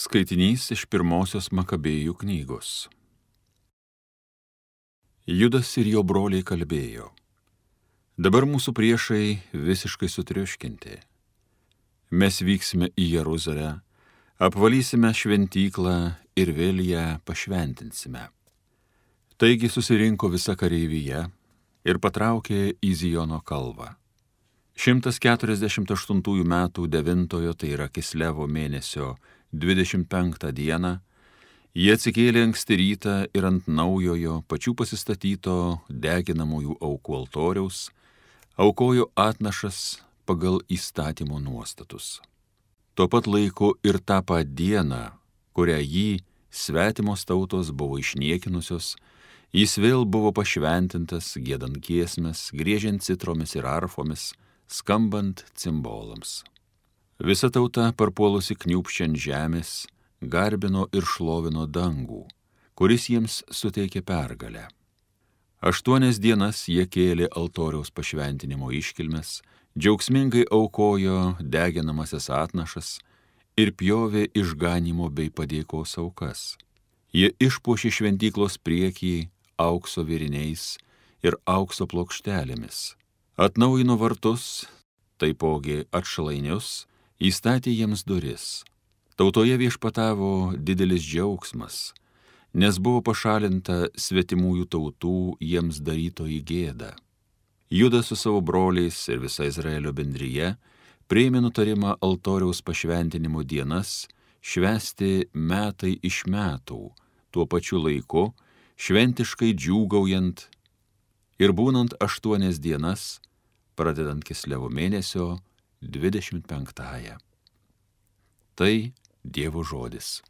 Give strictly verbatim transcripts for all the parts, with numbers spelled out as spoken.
Skaitinys iš pirmosios Makabėjų knygos. Judas ir jo broliai kalbėjo: dabar mūsų priešai visiškai sutriuškinti. Mes vyksime į Jeruzalę, apvalysime šventyklą ir vėl ją pašventinsime. Taigi susirinko visa kareivyje ir patraukė į Ziono kalvą. šimtas keturiasdešimt aštuntųjų metų devintojo, tai yra Kislevo mėnesio dvidešimt penktą dieną, jie atsikėlė anksti rytą ir ant naujojo, pačių pasistatyto deginamųjų aukų altoriaus aukojo atnašas pagal įstatymo nuostatus. Tuo pat laiku ir tą pat dieną, kurią jį svetimos tautos buvo išniekinusios, jis vėl buvo pašventintas, giedant giesmes, griežiant citromis ir arfomis, skambant cimbolams. Visa tauta, parpuolusi kniūpščiant žemės, garbino ir šlovino dangų, kuris jiems suteikė pergalę. Aštuonias dienas jie kėlė altoriaus pašventinimo iškilmes, džiaugsmingai aukojo deginamasias atnašas ir pjovė išganimo bei padėkos aukas. Jie išpuošė šventyklos priekį aukso vėriniais ir aukso plokštelėmis, atnaujino vartus, taipogi atšlainius, įstatė jiems duris. Tautoje viešpatavo didelis džiaugsmas, nes buvo pašalinta svetimųjų tautų jiems darytoji gėda. Judas su savo broliais ir visa Izraelio bendrija priėmė nutarimą altoriaus pašventinimo dienas švęsti metai iš metų, tuo pačiu laiku, šventiškai džiūgaujant ir būnant aštuonias dienas, pradedant Kislevo mėnesio dvidešimt penktąją. Tai Dievo žodis.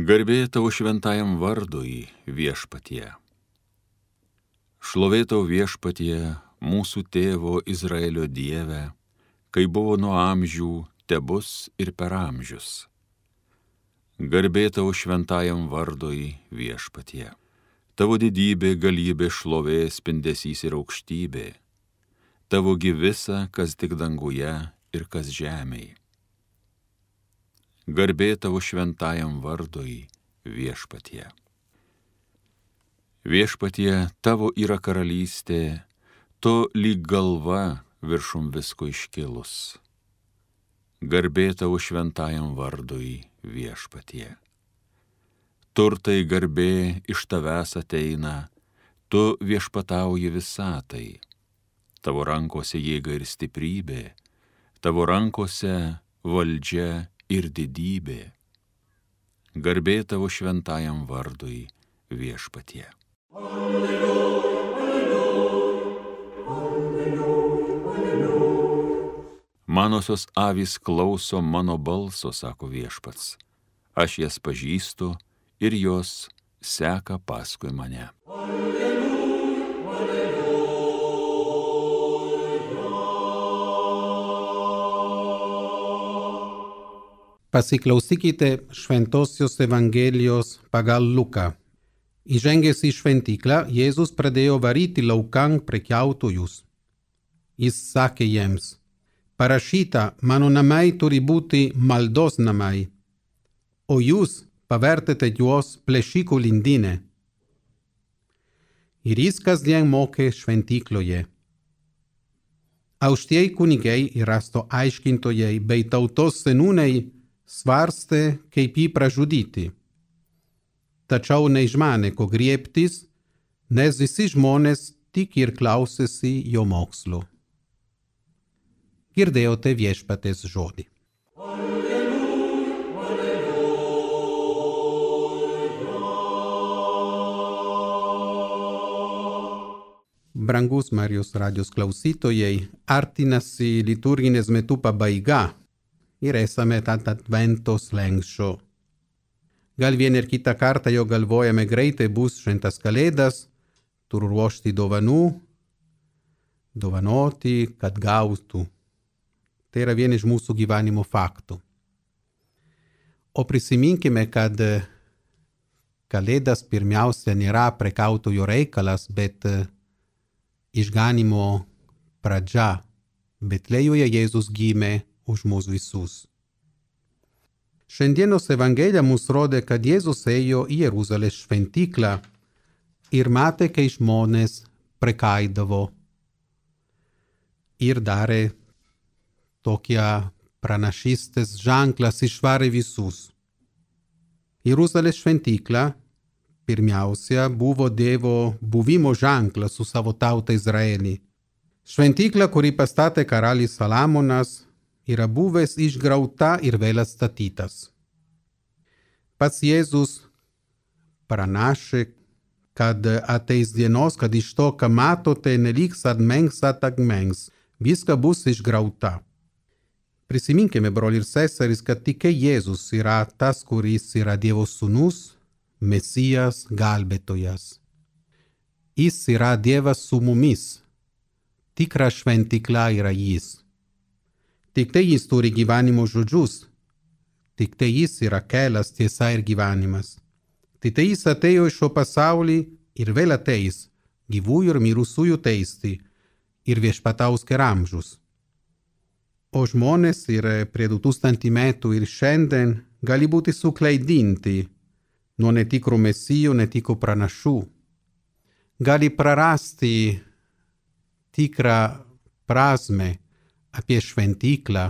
Garbė tavo šventajam vardui, viešpatie. Šlovė tau, viešpatie, mūsų tėvo Izraelio Dieve, kai buvo nuo amžių, tebus ir per amžius. Garbė tau šventajam vardui, viešpatie. Tavo didybė, galybė, šlovė, spindesys ir aukštybė. Tavo gi visa, kas tik danguje ir kas žemėje. Garbė tavo šventajam vardui, viešpatie. Viešpatie, tavo yra karalystė, tu lyg galva viršum visko iškilus. Garbė tavo šventajam vardui, viešpatie. Turtai garbė iš tavęs ateina, tu viešpatauji visatai. Tavo rankose jėga ir stiprybė, tavo rankose valdžia ir didybė. Garbė tavo šventajam vardui, viešpatie. Alleluja, alleluja, alleluja, alleluja. Manosios avys klauso mano balso, sako viešpats. Aš jas pažįstu ir jos seka paskui mane. Alleluja, alleluja. Pasiklausykite Šventosios Evangelijos pagal Luką. Įžengęs į šventyklą, Jėzus pradėjo varyti laukan prekiautojus. Jis sakė jiems: parašyta, mano namai turi būti maldos namai, o jūs pavertėte juos plėšikų lindynę. Ir jis kasdien mokė šventykloje. Aukštieji kunigai ir rašto aiškintojai bei tautos seniūnai svarstė, kaip jį pražudyti. Tačiau neišmanė, ko griebtis, nes visi žmonės tik ir klausėsi jo mokslo. Girdėjote viešpaties žodį. Alleluja, alleluja. Brangus Marijos radijos klausytojai, artinasi liturginės metų pabaiga ir esame ant advento slenksčio. Gal vieną ir kitą kartą jau galvojame, greitai bus šventas kalėdas, turiu ruošti dovanų. dovanoti, kad gautų. Tai yra viena iš mūsų gyvenimo faktų. O prisiminkime, kad Kalėdas pirmiausia nėra prekautojo reikalas, bet išganimo pradžia. Betlėjuje Jėzus gimė už mus visus. Šiandienos Evangelija mums rodė, kad Jėzus ėjo į Jeruzalės šventyklą ir matė, kai žmonės prekaidavo ir darė tokią pranašystės ženklas išvarė visus. Jeruzalės šventykla pirmiausia buvo Dievo buvimo ženklas su savo tauta Izraelį. Šventykla, kurį pastatė karalius Salomonas, yra buvęs išgrauta ir vėl atstatytas. Pats Jėzus pranašė, kad ateis dienos, kad iš to, ką matote, neliks atmengs atagmengs, viską bus išgrauta. Prisiminkime, broliai ir seserys, kad tik Jėzus yra tas, kuris yra Dievo sūnus, Mesijas, gelbėtojas. Jis yra Dievas su mumis. Tikra šventykla yra jis. Tik tai jis turi gyvenimo žodžius. Tik tai jis yra kelias, tiesa ir gyvenimas. Tik tai jis atėjo iš šio pasaulį ir vėl ateis, gyvųjų ir mirusiųjų teisti ir viešpataus per amžius. O žmonės ir prie du tūkstančių metų ir šiandien gali būti suklaidinti nuo netikrų mesijų, netikrų pranašų. Gali prarasti tikrą prasmę apie šventyklą,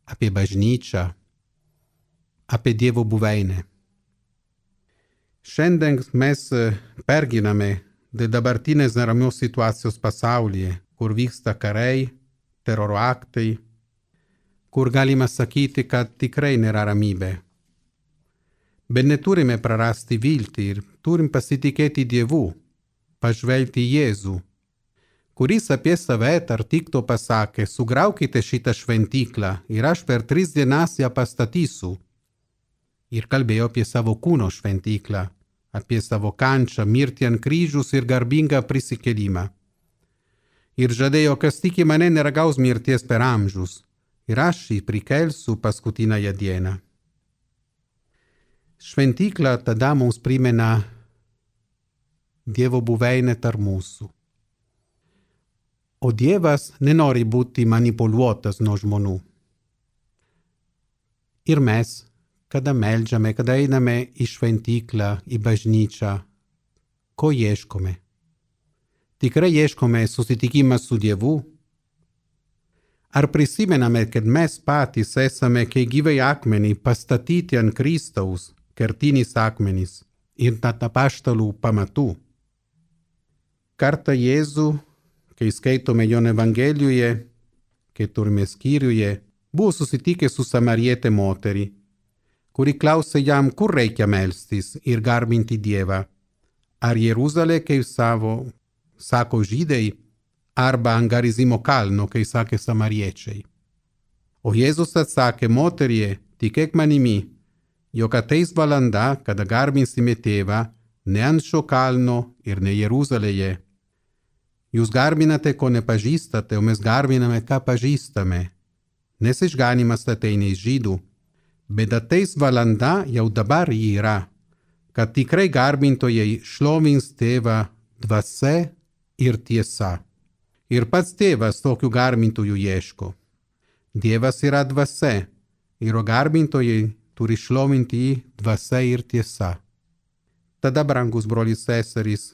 apie bažnyčią, apie Dievo buveinę. Šiandien mes pergyvename dėl dabartinės neramios situacijos pasaulyje, kur vyksta karai, teroro aktai, kur galima sakyti, kad tikrai nėra ramybė. Bet neturime prarasti viltį ir turim pasitikėti Dievu, pažvelgti į Jėzų, kuris apie save tarp kitko pasakė, sugraukite šitą šventyklą ir aš per tris dienas ją pastatysiu. Ir kalbėjo apie savo kūno šventyklą, apie savo kančią, mirtį ant kryžiaus ir garbingą prisikėlimą. Ir žadėjo, kas tiki mane neragaus mirties per amžius, ir aš jį prikelsiu paskutinąją dieną. Šventykla tada mums primena Dievo buveinę tarp mūsų. O Dievas nenori būti manipuliuotas nuo žmonių. Ir mes, kada meldžiame, kada einame į šventyklą, į bažnyčią, ko ieškome? Tikrai ieškome susitikimą su Dievu? Ar prisimename, kad mes patys esame kaip gyvai akmenį pastatyti ant Kristaus, kertinis akmenys ir net apaštalų pamatų? Kartą Jėzų, kai skaitome jo Evangelijoje, keturime skyriuje, buvo susitikęs su samarietė moterį, kuri klausė jam, kur reikia melstis ir garbinti Dievą. Ar Jeruzalė, kaip savo sako žydai, arba ant Garizimo kalno, kai sakė samariečiai. O Jėzus atsakė, moterie, tikėk manimi, jog ateis valanda, kada garbinsime Tėvą, ne ant šio kalno ir ne Jeruzalėje. Jūs garbinate, ko nepažįstate, o mes garbiname, ką pažįstame. Nes išganimas ateina iš žydų, bet ateis valanda, jau dabar jį yra, kad tikrai garbintojai šlovins Tėvą dvasia ir tiesa. Ir pats Tėvas tokių garbintojų ieško. Dievas yra dvasia, ir garbintojai turi šlovinti jį dvasia ir tiesa. Tada, brangus broliai seserys,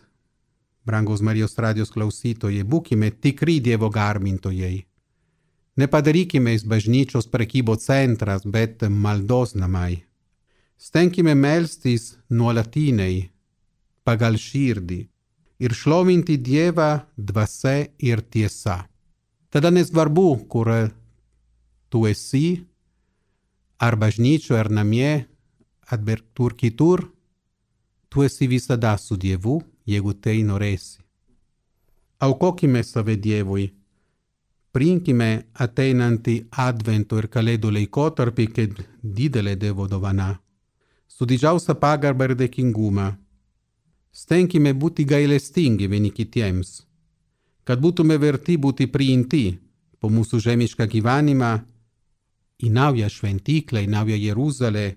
brangus Marijos radijos klausytojai, būkime tikri Dievo garbintojai. Nepadarykime iš bažnyčios prekybos centras, bet maldos namai. Stenkime melstis nuolatiniai, pagal širdį, ir šlovinti Dievą dvasia ir tiesa. Tada nesvarbu, kur tu esi, ar bažnyčio, ar namie, ar tur kitur, tu esi visada su Dievu, jeigu tai norėsi. Aukokime save Dievui, priimkime ateinantį advento ir kalėdų laikotarpį kaip didelė Dievo dovana, su didžiausia pagarba ir dėkingumą. Stenkime būti gailestingi vieni kitiems, kad būtume verti būti priimti po mūsų žemišką gyvenimą į naują šventyklą, į naują Jeruzalę,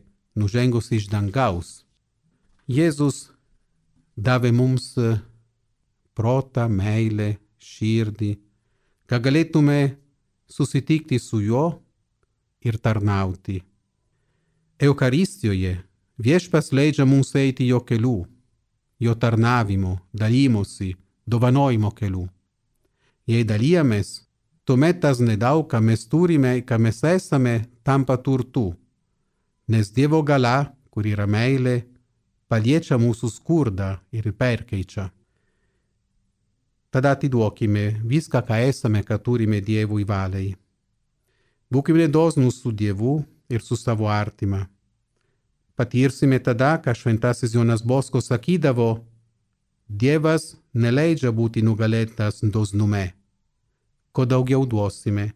nužengus iš dangaus. Jėzus davė mums protą, meilę, širdį, kad galėtume susitikti su juo ir tarnauti. Eucharistijoje Viešpats leidžia mums eiti jo kelių, jo tarnavimo, dalymosi, dovanojimo kelių. Jei dalijamės, tuomet tas nedaug, ką mes turime, ką mes esame, tampa turtu, nes Dievo galia, kur yra meilė, paliečia mūsų skurdą ir perkeičia. Tada atiduokime viską, ką esame, ką turime Dievui valiai. Būkime dosnūs su Dievu ir su savo artima. Patirsime tada, ką šventasis Jonas Bosko sakydavo, Dievas neleidžia būti nugalėtas dosnume. Ko daugiau duosime,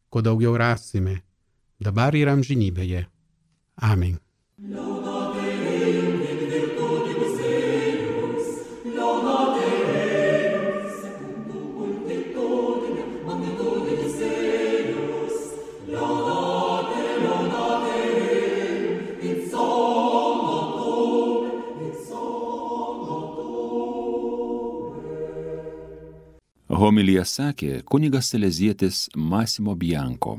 ko daugiau rasime, dabar ir amžinybėje. Amen. Homiliją sakė kunigas salezietis Massimo Bianco.